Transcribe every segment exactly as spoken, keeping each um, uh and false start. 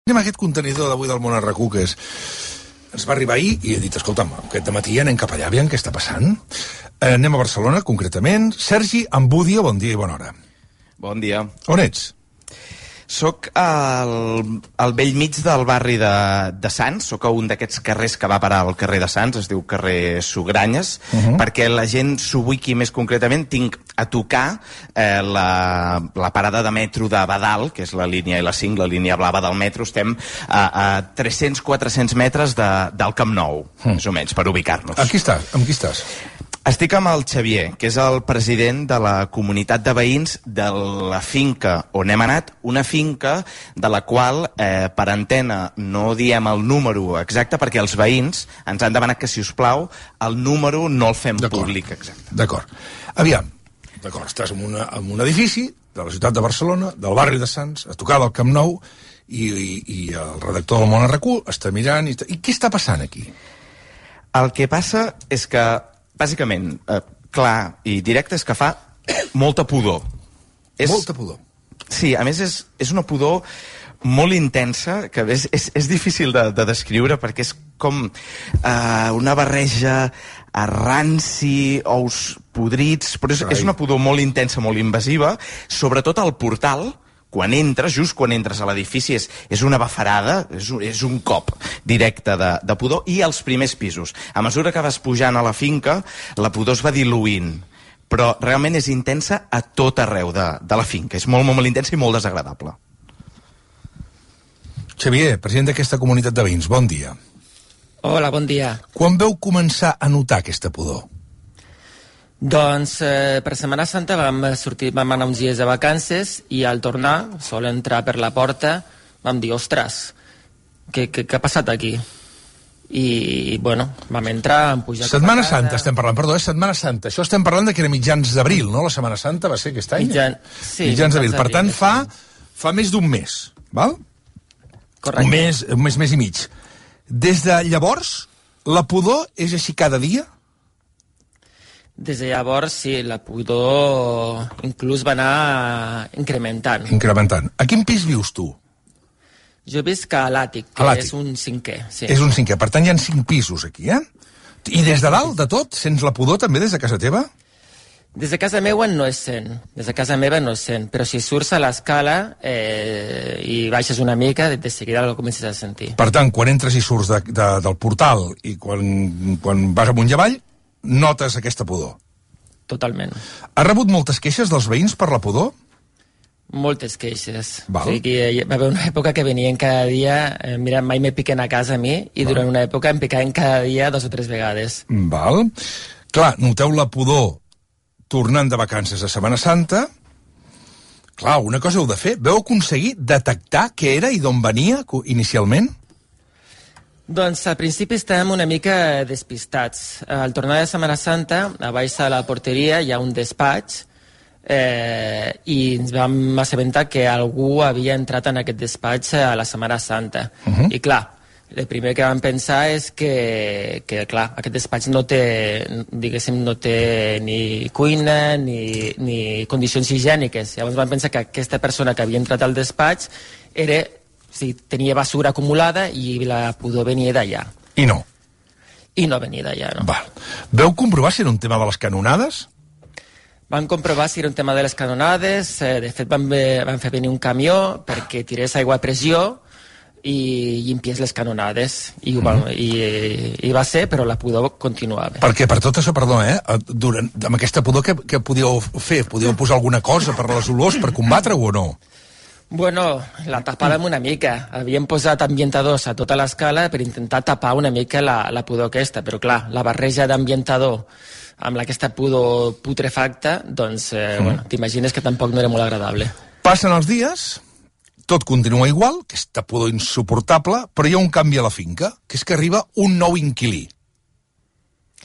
Anem a aquest contenidor d'avui del Món a RAC u, que és... ens va arribar ahir i he dit, escolta'm, aquest dematí anem cap allà, aviam què està passant. Eh, anem a Barcelona, concretament. Sergi Ambudio, bon dia i bona hora. Bon dia. On ets? Soc al, al vell mig del barri de, de Sants, soc a un d'aquests carrers que va parar al carrer de Sants, es diu carrer Sugranyes, uh -huh. perquè la gent s'ubiqui més concretament. Tinc a tocar eh, la, la parada de metro de Badal, que és la línia L cinc, la línia blava del metro. Estem a, a tres-cents a quatre-cents metres de, del Camp Nou, uh -huh. més o menys, per ubicar-nos. Aquí estàs, amb qui estàs? Estic amb el Xavier, que és el president de la comunitat de veïns de la finca on hem anat, una finca de la qual, eh, per antena, no diem el número exacte, perquè els veïns ens han demanat que, si us plau, el número no el fem públic exacte. D'acord. Aviam, d'acord, estàs en, una, en un edifici de la ciutat de Barcelona, del barri de Sants, a tocar del Camp Nou, i, i, i el redactor del Món a RAC u està mirant... I, I què està passant aquí? El que passa és que bàsicament, eh, clar i directe, és que fa molta pudor. És, molta pudor. Sí, a més és, és una pudor molt intensa, que és, és, és difícil de, de descriure, perquè és com eh, una barreja a ranci, ous podrits, però és, és una pudor molt intensa, molt invasiva, sobretot al portal. Quan entres, just quan entres a l'edifici, és, és una bafarada, és un, és un cop directe de, de pudor, i als primers pisos. A mesura que vas pujant a la finca, la pudor es va diluint, però realment és intensa a tot arreu de, de la finca. És molt, molt, molt intensa i molt desagradable. Xavier, president d'aquesta comunitat de veïns, bon dia. Hola, bon dia. Quan veu començar a notar aquesta pudor? Doncs eh, per Setmana Santa vam sortir, vam anar uns dies de vacances i al tornar, sol entrar per la porta, vam dir, ostres, què, què, què ha passat aquí? I, bueno, vam entrar, vam pujar... Setmana Santa estem parlant, perdó, és Setmana Santa. Això estem parlant de que era mitjans d'abril, no? La Setmana Santa va ser aquest any? Mitjan... Sí, mitjans d'abril. Per tant, fa, fa més d'un mes, val? Correcte. Un mes, un mes, mes i mig. Des de llavors, la pudor és així cada dia? Des de llavors, sí, la pudor inclús va anar incrementant. Incrementant. A quin pis vius tu? Jo visc a l'àtic, que a és un cinquè. Sí. És un cinquè, per tant hi ha cinc pisos aquí, eh? I des de dalt, de tot, sents la pudor també des de casa teva? Des de casa meva no es sent, des de casa meva no es sent, però si surts a l'escala eh, i baixes una mica, de seguida el comences a sentir. Per tant, quan entres i surts de, de, del portal i quan, quan vas amunt i avall, notes aquesta pudor. Totalment. Has rebut moltes queixes dels veïns per la pudor? Moltes queixes. Val. O sigui que va haver una època que venien cada dia, eh, mira, mai me piquen a casa a mi, i Val. durant una època em picaven cada dia dos o tres vegades. Val. Clar, noteu la pudor tornant de vacances a Setmana Santa. Clar, una cosa heu de fer. Veu aconseguir detectar què era i d'on venia inicialment? Doncs al principi estàvem una mica despistats. Al tornar de Setmana Santa, a baix de la porteria hi ha un despatx eh, i ens vam assabentar que algú havia entrat en aquest despatx a la Setmana Santa. Uh -huh. I clar, el primer que vam pensar és que, que clar, aquest despatx no té, diguéssim, no té ni cuina ni, ni condicions higièniques. Llavors vam pensar que aquesta persona que havia entrat al despatx era... Sí, tenia basura acumulada i la pudor venia d'allà. I no? I no venia d'allà, no. Val. Veu comprovar si era un tema de les canonades? Vam comprovar si era un tema de les canonades. Eh, de fet, vam, ve, vam fer venir un camió perquè tirés aigua a pressió i llimpiés les canonades. I, mm. bueno, i, i va ser, però la pudor continuava. Perquè per tot això, perdó, eh? Durant, amb aquesta pudor, què, què podíeu fer? Podíeu posar alguna cosa per les olors, per combatre-ho o no? Bueno, la tapàvem una mica. Havíem posat ambientadors a tota l'escala per intentar tapar una mica la, la pudor aquesta, però clar, la barreja d'ambientador amb aquesta pudor putrefacta, doncs, eh, mm. bueno, t'imagines que tampoc no era molt agradable. Passen els dies, tot continua igual, aquesta pudor insuportable, però hi ha un canvi a la finca, que és que arriba un nou inquilí.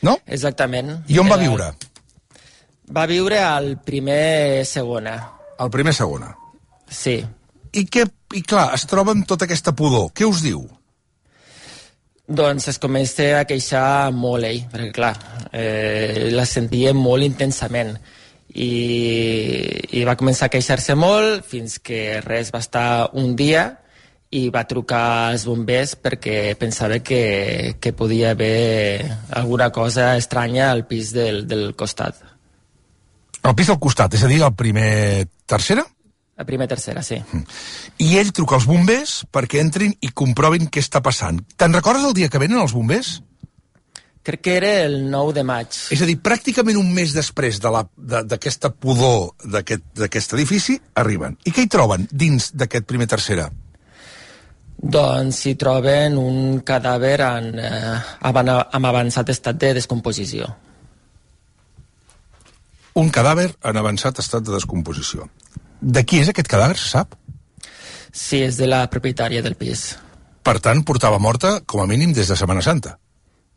No? Exactament. I on va viure? Va viure al primer segona. Al primer segona. Sí. I, què, I clar, es troba amb tota aquesta pudor. Què us diu? Doncs es comença a queixar molt ell, perquè clar, eh, la sentia molt intensament. I, i va començar a queixar-se molt fins que res va estar un dia i va trucar als bombers perquè pensava que, que podia haver alguna cosa estranya al pis del, del costat. Al pis del costat, és a dir, al primer tercera? A primer tercera, sí. I ell truca als bombers perquè entrin i comprovin què està passant. Te'n recordes el dia que venen els bombers? Crec que era el nou de maig. És a dir, pràcticament un mes després d'aquesta de pudor d'aquest edifici, arriben. I què hi troben dins d'aquest primer tercera? Doncs hi troben un cadàver en, eh, amb avançat estat de descomposició. Un cadàver en avançat estat de descomposició. De qui és aquest cadàver, se sap? Sí, és de la propietària del pis. Per tant, portava morta, com a mínim, des de Setmana Santa.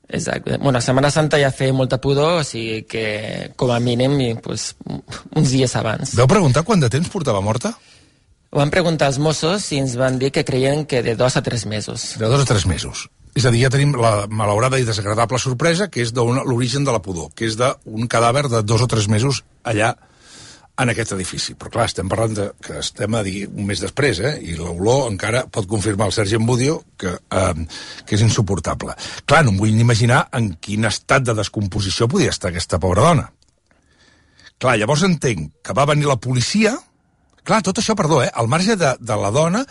Exacte. Bueno, a Setmana Santa ja feia molta pudor, o sigui que, com a mínim, pues, uns dies abans. Vau preguntar quant de temps portava morta? Ho van preguntar als Mossos i ens van dir que creien que de dos a tres mesos. De dos a tres mesos. És a dir, ja tenim la malaurada i desagradable sorpresa, que és l'origen de la pudor, que és d'un cadàver de dos o tres mesos allà en aquest edifici. Però clar, estem parlant de, que estem a dir un mes després, eh? I l'olor encara pot confirmar el Sergi Embudio que, eh, que és insuportable. Clar, no em vull ni imaginar en quin estat de descomposició podia estar aquesta pobra dona. Clar, llavors entenc que va venir la policia. Clar, tot això, perdó, eh? Al marge de, de la dona,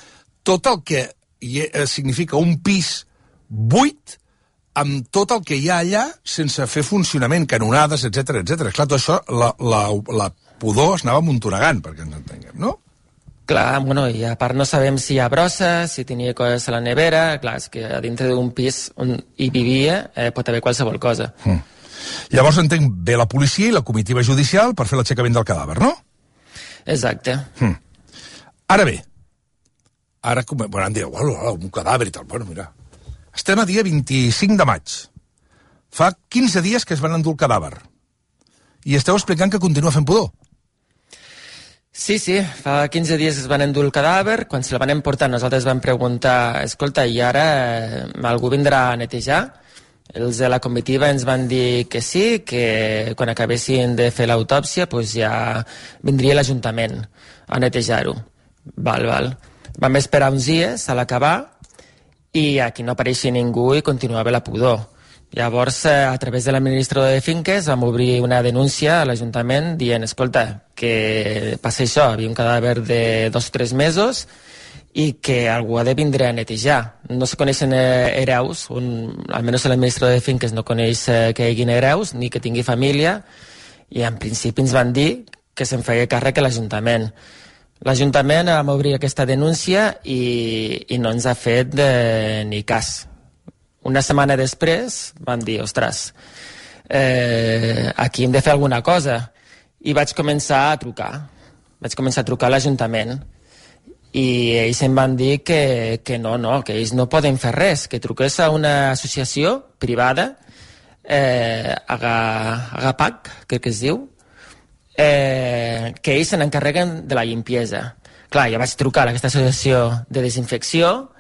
tot el que hi ha, significa un pis buit amb tot el que hi ha allà sense fer funcionament, canonades, etcètera, etcètera. Clar, tot això, la, la, la pudor es anava amuntonegant, perquè ens entenguem, no? Clar, bueno, i a part no sabem si hi ha brosses, si tenia coses a la nevera. Clar, és que a dintre d'un pis on hi vivia eh, pot haver qualsevol cosa. Mm. Llavors entenc bé la policia i la comitiva judicial per fer l'aixecament del cadàver, no? Exacte. Mm. Ara bé, ara, bueno, han dit, oh, un cadàver i tal, bueno, mira, estem a dia vint-i-cinc de maig. Fa quinze dies que es van endur el cadàver. I esteu explicant que continua fent pudor. Sí, sí, fa quinze dies es van endur el cadàver. Quan se la van emportar nosaltres vam preguntar, escolta, i ara eh, algú vindrà a netejar? Els de la comitiva ens van dir que sí, que quan acabessin de fer l'autòpsia pues ja vindria l'Ajuntament a netejar-ho. Val, val. Vam esperar uns dies a l'acabar i aquí no apareixia ningú i continuava la pudor. Llavors, a través de l'administrador de finques, vam obrir una denúncia a l'Ajuntament dient, escolta, que passa això, havia un cadàver de dos o tres mesos i que algú ha de vindre a netejar. No se coneixen hereus, un, almenys l'administrador de finques no coneix que hi hagin hereus, ni que tingui família, i en principi ens van dir que se'n feia càrrec a l'Ajuntament. L'Ajuntament vam obrir aquesta denúncia i, i no ens ha fet de, ni cas. Una setmana després van dir, ostres, eh, aquí hem de fer alguna cosa. I vaig començar a trucar. Vaig començar a trucar a l'Ajuntament. I ells em van dir que, que no, no, que ells no poden fer res, que truqués a una associació privada, eh, Agapac, crec que es diu, eh, que ells se n'encarreguen de la limpiesa. Clar, jo vaig trucar a aquesta associació de desinfecció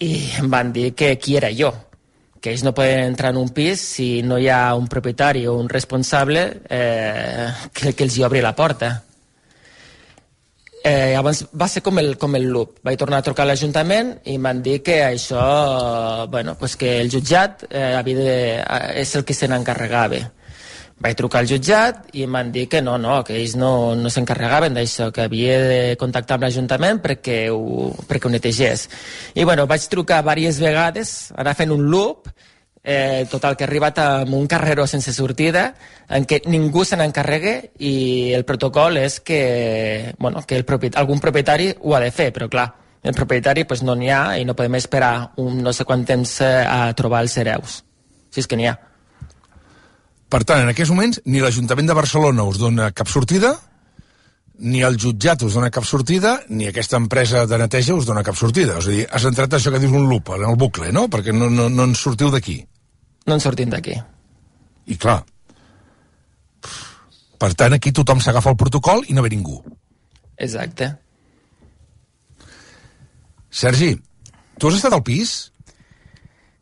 i em van dir que qui era jo, que ells no poden entrar en un pis si no hi ha un propietari o un responsable eh, que, que els hi obri la porta. Eh, llavors va ser com el, com el loop. Vaig tornar a trucar a l'Ajuntament i em van dir que això, bueno, pues que el jutjat eh, havia de, és el que se n'encarregava. Vaig trucar al jutjat i em van dir que no, no, que ells no, no s'encarregaven d'això, que havia de contactar amb l'Ajuntament perquè ho, perquè ho netegés. I bueno, vaig trucar diverses vegades, anar fent un loop, eh, total que he arribat a un carreró sense sortida, en què ningú se n'encarregue i el protocol és que, bueno, que el propietari, algun propietari ho ha de fer, però clar, el propietari pues, no n'hi ha i no podem esperar un no sé quant temps a trobar els hereus, si és que n'hi ha. Per tant, en aquests moments, ni l'Ajuntament de Barcelona us dona cap sortida, ni el jutjat us dona cap sortida, ni aquesta empresa de neteja us dona cap sortida. És a dir, has entrat això que dius un loop, en el bucle, no? Perquè no, no, no en sortiu d'aquí. No en sortim d'aquí. I clar, per tant, aquí tothom s'agafa el protocol i no ve ningú. Exacte. Sergi, tu has estat al pis?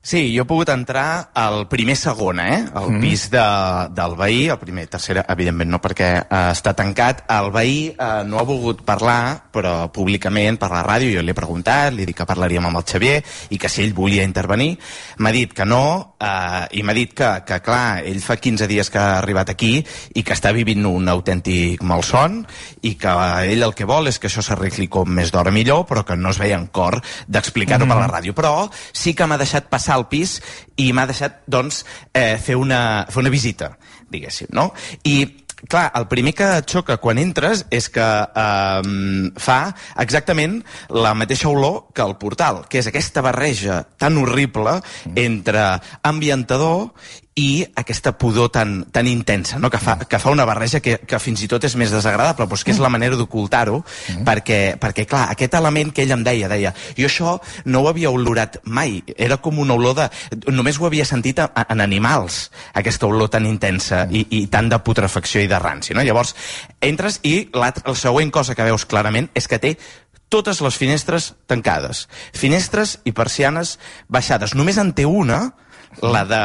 Sí, jo he pogut entrar al primer segon, eh? Al mm. pis de, del veí, el primer, tercer, evidentment no, perquè eh, està tancat. El veí eh, no ha volgut parlar, però públicament per la ràdio, jo li he preguntat, li he dit que parlaríem amb el Xavier i que si ell volia intervenir, m'ha dit que no, eh, i m'ha dit que, que, clar, ell fa quinze dies que ha arribat aquí i que està vivint un autèntic malson i que ell el que vol és que això s'arregli com més d'hora millor, però que no es veia en cor d'explicar-ho mm. per la ràdio. Però sí que m'ha deixat passar al pis i m'ha deixat, doncs, eh, fer, una, fer una visita, diguéssim, no? I, clar, el primer que et xoca quan entres és que eh, fa exactament la mateixa olor que el portal, que és aquesta barreja tan horrible entre ambientador i aquesta pudor tan, tan intensa, no? que, fa, que fa una barreja que, que fins i tot és més desagradable, però és que és la manera d'ocultar-ho, mm. perquè, perquè, clar, aquest element que ell em deia, deia, jo això no ho havia olorat mai, era com una olor de... Només ho havia sentit a, a, en animals, aquesta olor tan intensa mm. i, i tant de putrefacció i de ranci, no? Llavors, entres i la següent cosa que veus clarament és que té totes les finestres tancades, finestres i persianes baixades. Només en té una, la de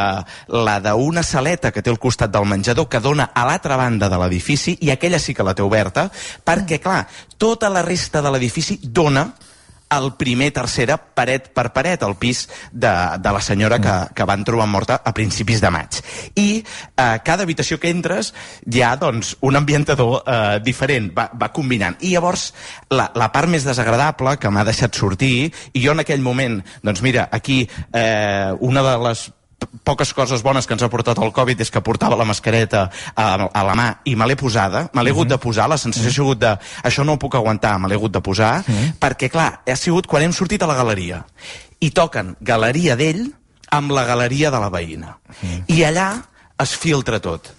la d'una saleta que té al costat del menjador que dona a l'altra banda de l'edifici, i aquella sí que la té oberta, perquè, clar, tota la resta de l'edifici dona al primer, tercera, paret per paret, al pis de, de la senyora que, que van trobar morta a principis de maig. I a eh, cada habitació que entres hi ha, doncs, un ambientador eh, diferent, va, va combinant. I llavors, la, la part més desagradable que m'ha deixat sortir, i jo en aquell moment, doncs mira, aquí eh, una de les poques coses bones que ens ha portat el Covid és que portava la mascareta a, a la mà i me l'he posada, me l'he hagut de posar, la sensació ha sigut de, això no ho puc aguantar, me l'he hagut de posar, perquè clar, ha sigut quan hem sortit a la galeria i toquen galeria d'ell amb la galeria de la veïna, i allà es filtra tot.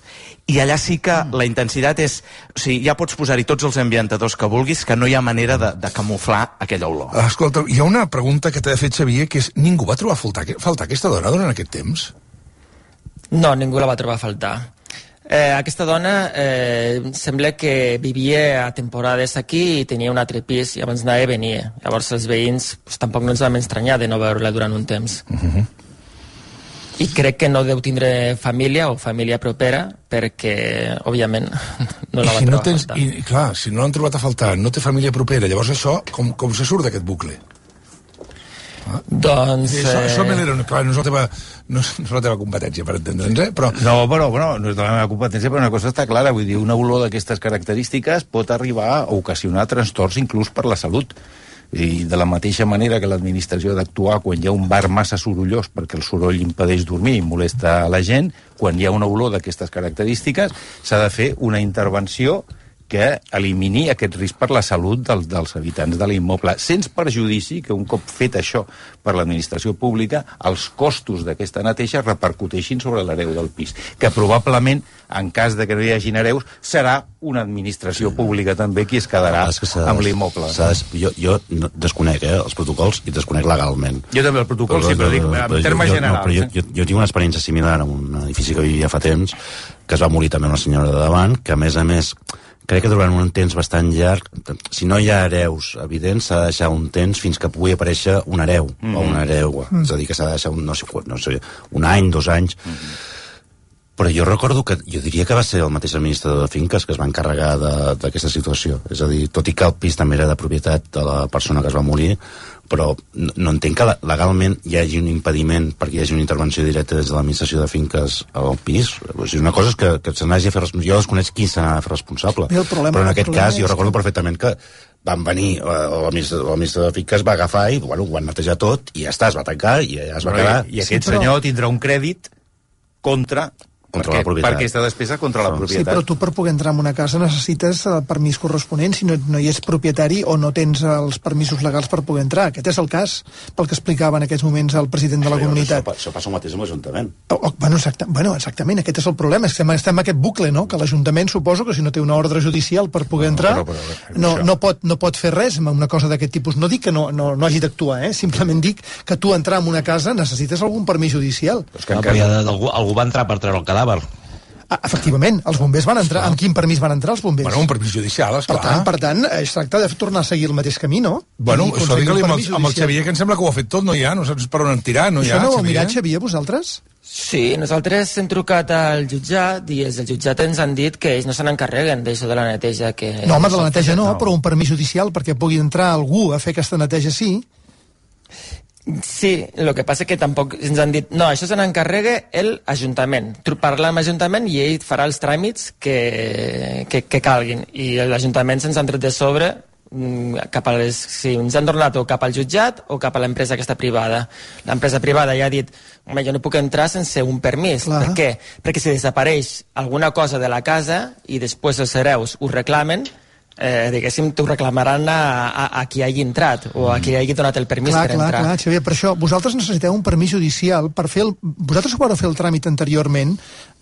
I allà sí que la intensitat és... O sigui, ja pots posar-hi tots els ambientadors que vulguis, que no hi ha manera de, de camuflar aquella olor. Escolta, hi ha una pregunta que t'ha fet Xavier, que és, ningú va trobar faltar, faltar aquesta dona durant aquest temps? No, ningú la va trobar a faltar. Eh, aquesta dona eh, sembla que vivia a temporades aquí i tenia un altre pis i abans anava i venia. Llavors els veïns pues, tampoc no ens vam estranyar de no veure-la durant un temps. Uh-huh. I crec que no deu tindre família o família propera perquè, òbviament, no la va si trobar no tens, a faltar. I, clar, si no l'han trobat a faltar, no té família propera, llavors això, com, com se surt d'aquest bucle? Ah. Doncs... Això, eh... això me l'era, clar, no és la teva, no és la teva competència, per entendre'ns, eh? Però... No, però, bueno, no és de la meva competència, però una cosa està clara, vull dir, una olor d'aquestes característiques pot arribar a ocasionar trastorns inclús per la salut. I de la mateixa manera que l'administració ha d'actuar quan hi ha un bar massa sorollós perquè el soroll impedeix dormir i molesta a la gent, quan hi ha una olor d'aquestes característiques s'ha de fer una intervenció que elimini aquest risc per la salut dels, dels habitants de l'immoble, sense perjudici que un cop fet això per l'administració pública, els costos d'aquesta neteja repercuteixin sobre l'hereu del pis, que probablement, en cas de que no hi hagin hereus, serà una administració pública també qui es quedarà es amb l'immoble. Jo, jo no, desconec eh, els protocols i desconec legalment. Jo també el protocol, però, sí, però dic, en termes jo, generals. No, però jo, jo, jo tinc una experiència similar en un edifici que vivia fa temps, que es va morir també una senyora de davant, que a més a més crec que durant un temps bastant llarg, si no hi ha hereus evidents, s'ha de deixar un temps fins que pugui aparèixer un hereu, mm-hmm. o una hereua. Mm. És a dir, que s'ha de deixar un, no sé, no sé, un any, dos anys. Mm-hmm. Però jo recordo que, jo diria que va ser el mateix administrador de finques que es va encarregar d'aquesta situació. És a dir, tot i que el pis també era de propietat de la persona que es va morir, però no, no entenc que legalment hi hagi un impediment perquè hi hagi una intervenció directa des de l'administració de finques al pis. O sigui, una cosa és que, que se n'hagi de fer responsable. Jo desconec qui se n'ha de fer responsable. Problema, però en aquest cas jo recordo perfectament que van venir, l'administrador de finques va agafar i bueno, ho van netejar tot i ja està, es va tancar i ja es va quedar. I aquest sí, però... senyor tindrà un crèdit contra... Contra perquè, la propietat. Per aquesta despesa contra la propietat. Sí, però tu per poder entrar en una casa necessites el permís corresponent si no, no hi ets propietari o no tens els permisos legals per poder entrar. Aquest és el cas, pel que explicava en aquests moments el president de la això, comunitat. Això, això passa el mateix amb l'Ajuntament. Oh, oh, bueno, exacta, bueno, exactament, aquest és el problema. Estem, estem en aquest bucle, no? Que l'Ajuntament suposo que si no té una ordre judicial per poder entrar, no, però, però, no, no, pot, no pot fer res amb una cosa d'aquest tipus. No dic que no, no, no hagi d'actuar, eh? Simplement dic que tu entrar en una casa necessites algun permís judicial. Però és que no, però ja de, algú, algú va entrar per treure el cadàver. Efectivament, els bombers van entrar. Amb quin permís van entrar els bombers? Bueno, un permís judicial, esclar. Per tant, per tant, es tracta de tornar a seguir el mateix camí, no? Bueno, això digue-li amb, el, amb el Xavier, que em sembla que ho ha fet tot, no hi ha, no saps per on en tirar, no hi ha, Això no ho heu Xavier? mirat, Xavier, vosaltres? Sí, nosaltres hem trucat al jutjat i els del jutjat ens han dit que ells no se n'encarreguen d'això de la neteja. Que no, home, de la neteja no, però un permís judicial perquè pugui entrar algú a fer aquesta neteja sí. Sí, el que passa és que tampoc ens han dit no, això se n'encarrega l'Ajuntament. Parla amb l'Ajuntament i ell farà els tràmits que, que, que calguin. I l'Ajuntament se'ns han tret de sobre cap a les, sí, ens han tornat o cap al jutjat o cap a l'empresa aquesta privada. L'empresa privada ja ha dit home, jo no puc entrar sense un permís. Clar. Per què? Perquè si desapareix alguna cosa de la casa i després els hereus ho reclamen, eh, diguéssim, t'ho reclamaran a, a, a qui hagi entrat o a qui hagi donat el permís clar, per clar, entrar. Clar, Xavier, per això vosaltres necessiteu un permís judicial per fer el... Vosaltres ho vareu fer el tràmit anteriorment,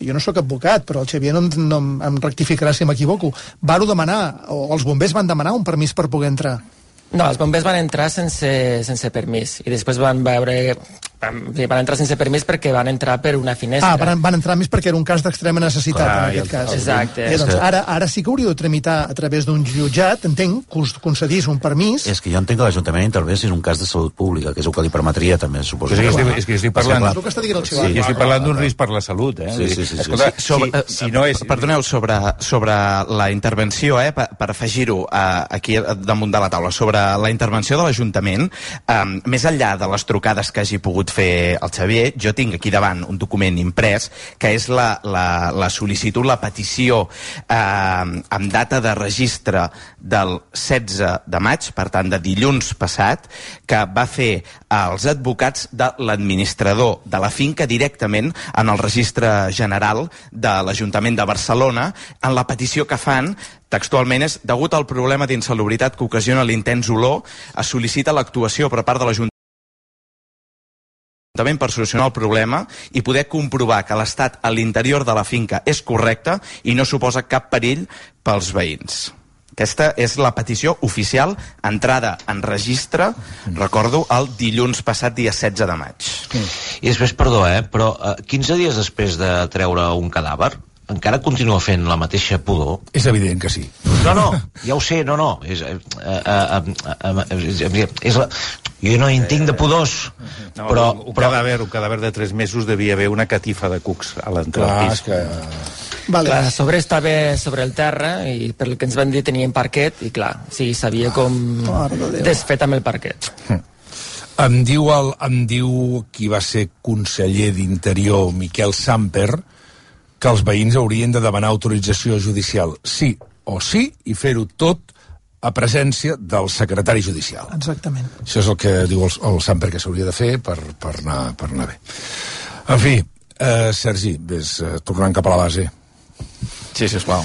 jo no sóc advocat, però el Xavier no, no em rectificarà si m'equivoco. Varo demanar, o els bombers van demanar un permís per poder entrar. No, els bombers van entrar sense, sense permís i després van veure... Van entrar sense permís perquè van entrar per una finestra. Ah, van, van entrar més perquè era un cas d'extrema necessitat, clar, en aquest cas. Exacte. Eh, doncs ara, ara sí que hauríeu de tramitar a través d'un jutjat, entenc, que us concedís un permís. És que jo entenc que l'Ajuntament intervé si és un cas de salut pública, que és el que li permetria també, suposo. És que, estic, és que estic parlant... És el que està dient el Xavier. Sí, jo estic parlant d'un risc per la salut, eh? Sí, sí, sí. Escolta, sí, sí. sobre, si, si no és... Perdoneu, sobre, sobre la intervenció, eh, per, per afegir-ho eh, aquí damunt de la taula, sobre la intervenció de l'Ajuntament, eh, més enllà de les trucades que hagi pogut fer el Xavier, jo tinc aquí davant un document imprès que és la, la, la sol·licitud, la petició eh, amb data de registre del setze de maig, per tant de dilluns passat, que va fer els advocats de l'administrador de la finca directament en el registre general de l'Ajuntament de Barcelona. En la petició que fan textualment és: degut al problema d'insalubritat que ocasiona l'intens olor, es sol·licita l'actuació per part de l'Ajuntament per solucionar el problema i poder comprovar que l'estat a l'interior de la finca és correcte i no suposa cap perill pels veïns. Aquesta és la petició oficial, entrada en registre, recordo, el dilluns passat, dia setze de maig. I després, perdó, eh, però eh, quinze dies després de treure un cadàver, encara continua fent la mateixa pudor? És evident que sí. No, no, ja ho sé, no, no. És, eh, eh, eh, eh, és la... Jo no en tinc de pudors, no, però... Un, però... cadàver, un cadàver de tres mesos devia haver una catifa de cucs a l'entrada del pis. Que... Vale. Clar, a sobre estava sobre el terra i per el que ens van dir tenien parquet i clar, sí, sabia com desfet amb el parquet. Em diu, el, em diu qui va ser conseller d'Interior, Miquel Samper, que els veïns haurien de demanar autorització judicial sí o sí i fer-ho tot a presència del secretari judicial. Exactament. Això és el que diu el, el Samper que s'hauria de fer per, per, anar, per anar bé. En fi, eh, Sergi, ves, eh, tornant cap a la base. Sí, sisplau.